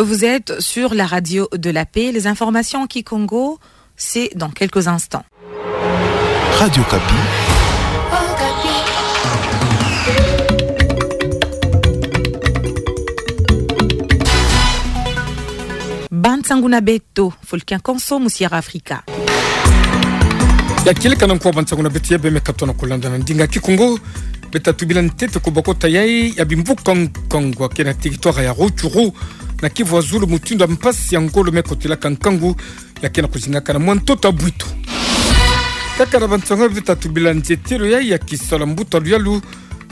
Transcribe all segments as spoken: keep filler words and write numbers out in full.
Vous êtes sur la radio de la paix. Les informations en kikongo, c'est dans quelques instants. Radio Okapi. Bansangu na beto, Fulkin Konso, mu Sierra Africa. Ya kieleka na nkwa bansangu na beto ya bemeka tona kulanda na ndinga kikongo. Beta tubila ntete ku bokota yai ya bimvuka nkangu ya ke na territoire ya Rutshuru, na Kivu ya Zulu, mutindu ya mpasi ya ngolo me kotelaka nkangu ya ke na kuzingaka na mwa ntoto ya bwito. Kaka na bansangu beta tubila nzietelo yai ya kisalu ya mbuta luyalu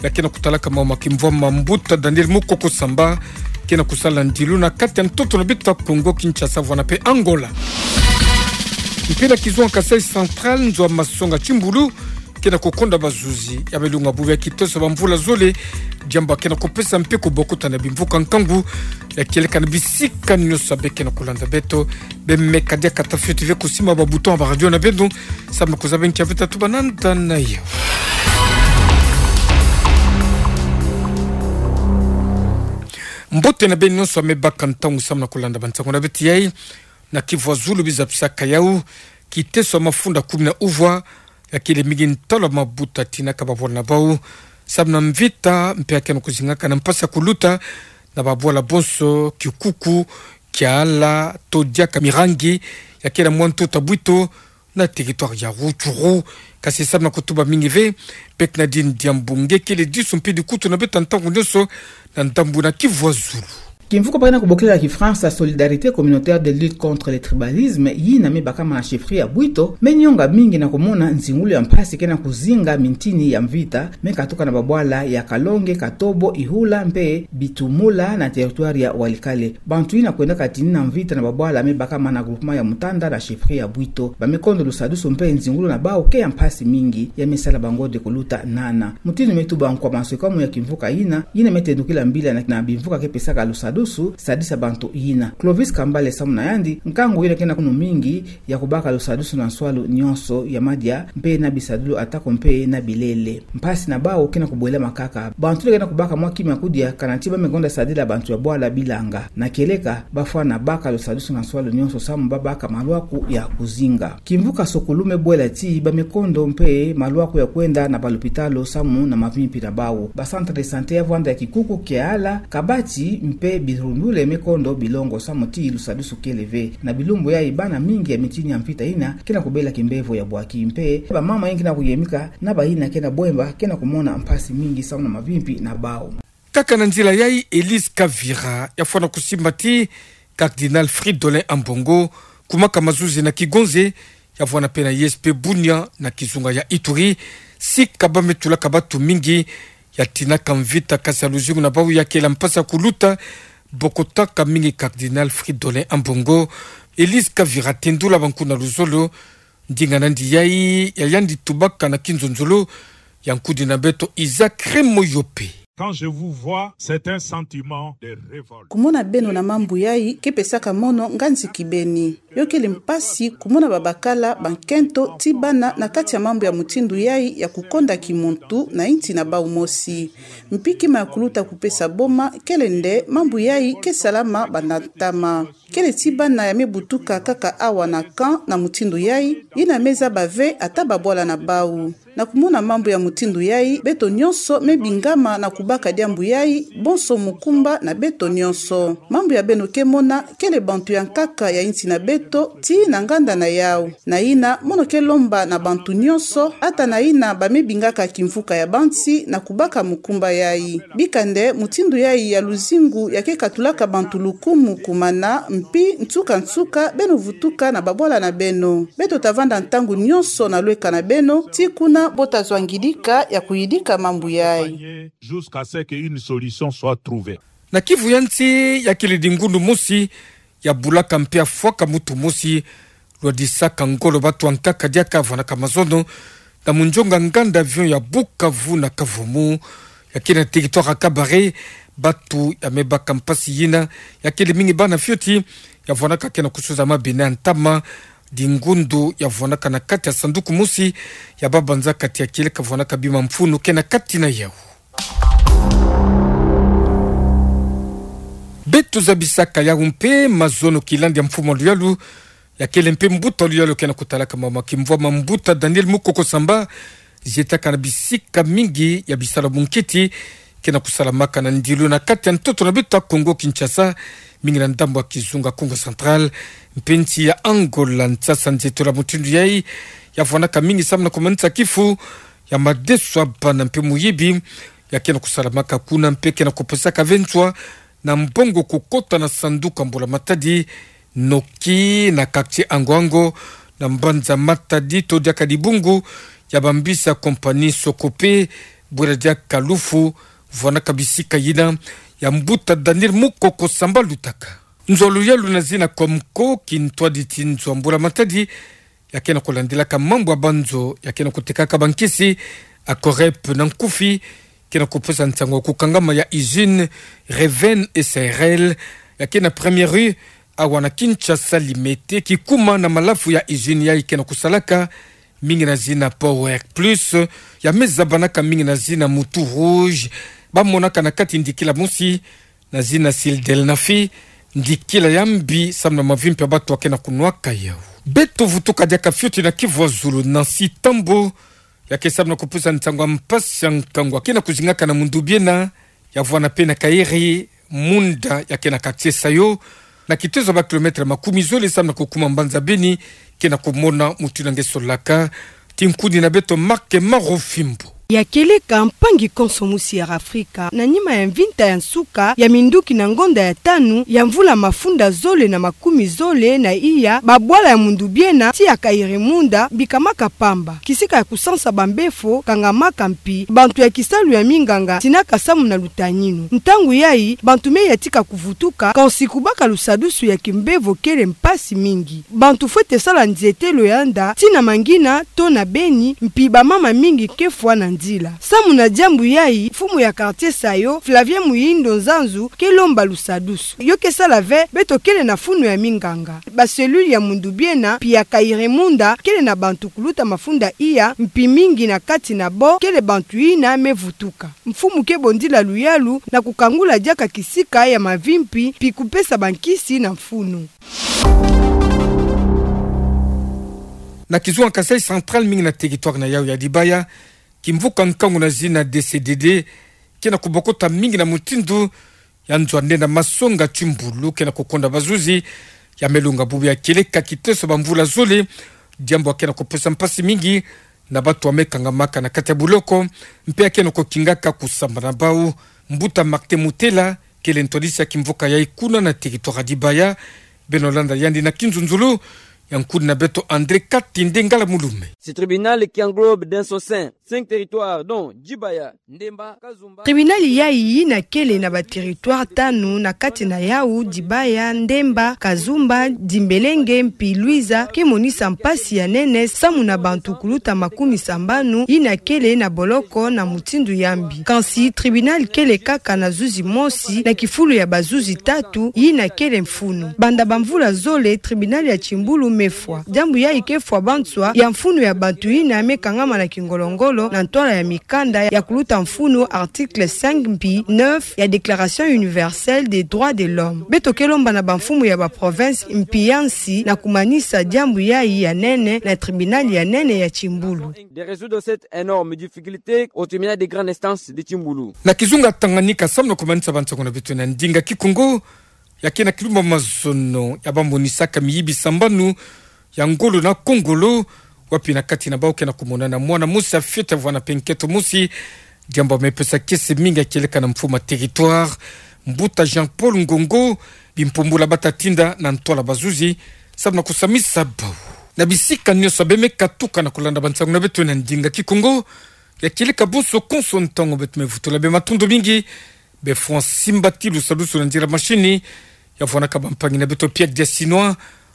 ya ke na kutalaka mawu ma kimvwama, mbuta Daniel Mukoko Samba ke na kusala ndilu na kati ya ntoto na beto ya Congo Kinshasa, vwanda mpe Angola. Mpe na kizunga Kasaï Central, nzo ya masonga Kimbulu ke na kukonda bazuzi ya belunga bubu ya kitoso ba mvula zole, diambu ya ke na kupesa mpiko bokota na bimvuka nkangu ya kieleka na bisika nyonso ya be ke na kulanda beto. Bemeka diaka ta fioti ve kusimba ba bouton ya ba radio na beno, samu na kuzaba nki ya beta tuba na nda na yo. Mbote na beno nyonso ya me baka ntangu samu na kulanda bansangu na beto yai. Na Kivu ya Zulu, biza pisaka yau kiteso ya mafunda kumi na uvwa ya kele mingi ntalu ya mabuta tinaka babwala na bau samu na mvita, mpe ya ke na kuzingaka na mpasi ya kuluta na babwala bonso, kikuku, kiala, to diaka mirangi ya ke na mwa ntoto ya bwito na territoire ya Rutshuru. Kasi samu na kutuba mingi ve, Bernardine Diambu nge kele disu mpe dikutu na beto ntangu nyonso na ndambu na Kivu ya Zulu. Kimvuka ba ke na kubokila na kifransa Solidarité communautaire de lutte contre le tribalisme, yina me bakama na chefferie ya Bwito, me nionga mingi na kumona nzingulu ya mpasi ke na kuzinga mintini ya mvita me katuka na babwala ya Kalonge, Katobo, Ihula mpe Bitumula na territoire ya Walikale. Bantu yina kwendaka tinina mvita na babwala me bakama na groupement ya Mutanda na chefferie ya Bwito. Ba me kondo lusadusu mpe nzingulu na bau ke ya mpasi mingi, ya me sala bango de kuluta nana. Mutindu me tuba nkwa manswekamu ya kimvuka yina, yina me tendukila mbila na, na bimvuka ke pesaka lusadusu, sadisa bantu yina. Clovis Kambale samu na yandi, nkangu yina ke na kunu mingi ya kubaka lusadusu na nswalu nyonso ya madia, mpe na bisadulu atako mpe na bilele. Mpasi na bau ke na kubwela makaka. Bantu le ke na kubaka mwa kima ya kudia, kana ti ba me konda sadila bantu ya bwala bilanga. Na kieleka, bafwana baka lusadusu na nswalu nyonso samu ba baka malwaku ya kuzinga. Kimvuka sukulu me bwela ti ba me kondo mpe malwaku ya kwenda na balupitalu samu na mavimpi na bau. Ba centre de santé ya vwanda ya Kikuku, Kiala, Kabati mpe Birundule me kondo bilongo samu ti lusadusu kele ve. Na bilumbu yai bana mingi ya mintini ya mvita yina ke na kubela kimbevo ya bwaki mpe bamama yina ke na kuyemika na bayina ke na bwemba ke na kumona mpasi mingi samu na mavimpi na bau. Kaka na nzila yai, Elise Kavira ya fwana kusimba ti Cardinal Fridolin Ambongo kumaka mazuzi na Kigonze, ya vwana mpe na I S P Bunia na kizunga ya Ituri, sika ba me tulaka batu mingi ya tinaka mvita, kasi ya luzingu na bau ya kele mpasi ya kuluta bokotaka mingi Cardinal Fridolin Ambongo. Elise Kavira tendula bantu na luzolo ndinga na yandi yai, ya yandi tubaka na kinzonzolo ya nkudi na beto Isaac Remoyope. Quand je vous vois, c'est un sentiment de révolte. Kumona beno na mambu yai ke pesaka mono nga nziki beni. Yo kele mpasi kumona babakala bankento ti bana na kati ya mambu ya mutindu yai ya kukonda kimuntu na insi na bau mosi. Mpi kima ya kuluta kupesa boma kele nde mambu yai ke salama banda ntama. Kele ti bana ya me butuka kaka awa na camp na mutindu yai, yina me zaba ve ata babwala na bau. Na kumona mambu ya mutindu yai, beto nyonso me bingama na kubaka diambu yai, bonso mukumba na beto nyonso. Mambu ya beno ke mona, kele bantu ya nkaka ya insi na beto, tii na nganda na yau. Na yina, mono ke lomba na bantu nyonso, ata na yina ba me bingaka kimvuka ya bansi, na kubaka mukumba yai. Bika nde, mutindu yai ya luzingu ya ke katulaka bantu lukumu kumana, mpi nsuka-nsuka, beno vutuka na babwala na beno. Beto ta vanda ntangu nyonso na lweka na beno, tii kuna bo ta zwa ngidika ya kuyidika mambu yai. Jusqu'à ce qu'une solution soit trouvée. Na Kivu ya nsi, ya kele dingundu mosi ya bulaka mpe ya fwaka mutu mosi, lwadisaka ngolo batu ya nkaka diaka vwanaka mazono na munzonga nganda avion ya Bukavu na Kavumu, ya kele na territoire ya Kabare. Batu ya me baka mpasi yina, ya kele mingi bana fioti ya vwanaka ke na kusuza mabena ya ntama, dingundu ya vwanaka na kati ya sanduku mosi ya babanza kati ya kieleka vwanaka bima mfunu ke na kati na yau. Be Tuzabisaka yawu mpe mazono kilandi ya mfumu a luyalu, ya kele mpe mbuta luyalu ke na kutalaka mama kimvwama, mbuta Daniel Mukoko Samba, zietaka na bisika mingi ya bisalu bunkiti ke na kusalamaka na ndilu na kati ya ntoto na beto ya Kongo Kinshasa, mingi na ndambu ya kizunga Kongo Central, mpe nsi ya Angola. Nsasa nzietolo ya mutindu yai ya vwanaka mingi samu na kumanisa kifu ya madeso ya bana mpe muyibi, ya ke na kusalamaka kuna mpe ke na kupesaka ve nzwa na mbongo kukota na sanduku ya mbula matadi, noki na quartier Ango Ango, na mbanza Matadi, to diaka dibungu ya bambisi ya compagnie Socope, bwela diaka lufu, vwanaka bisika yina ya mbuta Daniel Mukoko Samba lutaka. Nzwa luyalu na zina Comco, kintwadi ti nzwa mbula matadi, ya ke na kulandilaka mambu ya banzo, ya ke na kutekaka bankisi, Acorep na nkufi, ke na kupesa nsangu ya kukangama ya usine Reven S R L, ya ke na Première Rue, awa na Kinshasa Limete, kikuma na malafu ya usine yai ke na kusalaka, mingi na zina Power Plus, ya me zabanaka mingi na zina Mutu Rouge, ba monaka na kati ndikila mosi, na zina Sildenafil, ndikila ya mbi samu na mavimpi ya bato ya ke na kunwaka yawu. Beto vutuka diaka fioti na kivu ya zulu, Nancy Tambo, ya ke samu na kupesa nsangu ya mpasi ya nkangu ya ke na kuzingaka na Mundubiena, ya vwana mpe na Kairi Munda, ya ke na quartier Sayo, na kitezo ya ba kilomètre makumi zole samu na kukuma mbanza Beni, ke na kumona mutu ina nge solaka. Tinkuni na beto Marc Marofimbo. Ya keleka mpangi konso mosi ya Afrika, na nima ya mvinta ya nsuka ya minduki na ngonda ya tanu ya mvula mafunda zole na makumi zole na iya, babwala ya Mundubiena tii ya Kairi Munda bikamaka pamba. Kisika ya kusansa bambefo kangamaka mpi bantu ya kisalu ya minganga tinaka samu na lutaninu. Ntangu yai, bantu me ya tika kuvutuka, kansi kubaka lusadusu ya kimbevo kele mpasi mingi. Bantu fwete sala nzietelo ya nda tii na Mangina to na Beni, mpi bamama mingi ke fwa na nzila. Samu na diambu yai, mfumu ya quartier Sayo, Flavien Muhindo Nzanzu, ke lomba lusadusu. Yo ke sala ve, beto kele na funu ya minganga, ba cellule ya Mundubiena, mpi ya Kairi Munda, kele na bantu kuluta mafunda iya, mpi mingi na kati na bo, kele bantu ina me vutuka. Mfumu ke bondila luyalu na kukangula diaka kisika ya mavimpi, mpi kupesa bankisi na mfunu. Na kizunga Kasaï Central, mingi na territoire na yawu ya Dibaya, kimvuka nkangu na zina D C D D, ke na kubokota mingi na mutindu ya nzwa nde na masonga timbulu ke na kukonda bazuzi, ya me longa bubu ya keleka kiteso bamvula zole, diambu ya ke na kupesa mpasi mingi na bato ya me kangamaka na kati ya buloko, mpe ya ke na kukingaka kusamba na bawu. Mbuta Martin Mutela, kele ntwadisi ya kimvuka yai kuna na territoire ya Dibaya, beno landa yandi na kinzunzulu ya nkuni na beto André Katende Ngala Mulume. Ce tribunal qui englobe dans son sein cinq territoires, dont Djibaya, Ndemba, Kazumba. Tribunal yai ina kele na ba territoire tanu, na kati na yawu Djibaya, Ndemba, Kazumba, Dimbelenge, mpi Luiza, ke monisa mpasi ya nene samu na bantu kuluta makumi sambanu ina kele na boloko na mutindu ya mbi. Kansi tribunal kele kaka na zuzi mosi na kifulu ya bazuzi tatu ina kele mfunu. Banda bamvula zole, tribunal ya timbulu me fwa. Diambu yai ke fwa banswa ya mfunu ya bantu ina me kangama na kingolo-ngolo na ntwala ya mikanda ya kuluta mfunu, article cinq mpi neuf ya Déclaration universelle des droits de l'homme. Beto ke lomba na bamfumu ya ba province mpi ya nsi na kumanisa diambu yai ya nene na tribunal ya nene ya timbulu. De résoudre cette énorme difficulté au tribunal de grande instance de Timbulu. Na kizunga Tanganyika, samu na kumanisa bansangu na beto na ndinga Kikongo, ya ke na kilumba mazono ya bamonisaka miyibi sambanu ya ngolo na kongolo, wapi na kati na bawu ke na kumonana mwana mosi ya fioti ya vwana mpe nkento mosi. Diambu ya me pesa kiese mingi ya kieleka na mfumu ya territoire, Mbuta Jean-Paul Ngongo, bimpumbula bata tinda na ntwala bazuzi samu na kusamisa bawu. Na bisika nyonso beno me katuka na kulanda bansangu na beto na ndinga Kikongo, ya kieleka bonso konso ntangu, beto me vutula beno matondo mingi. Beno fwa simba ti lusadusu na nzila machini, ya vwanaka bampangi na beto Pierre Diasinois,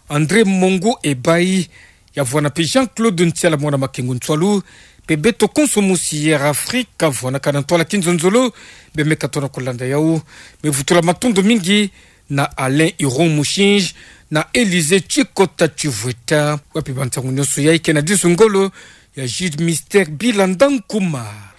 André Mongo Ebayi, ya vwana mpe Jean-Claude Ntiala mwana Makengo Ntswalu, mpe beto konso mosi Air Afrique, vwanaka na ntwala kinzonzolo. Beno me katuka na kulanda yawu, me vutula matondo mingi na Alain Huron Mushinji, na Élysée Tshikota Tshivweta, wapi bansangu nyonso yai ke na disu ngolo ya juge Mister Bilanda Nkouma.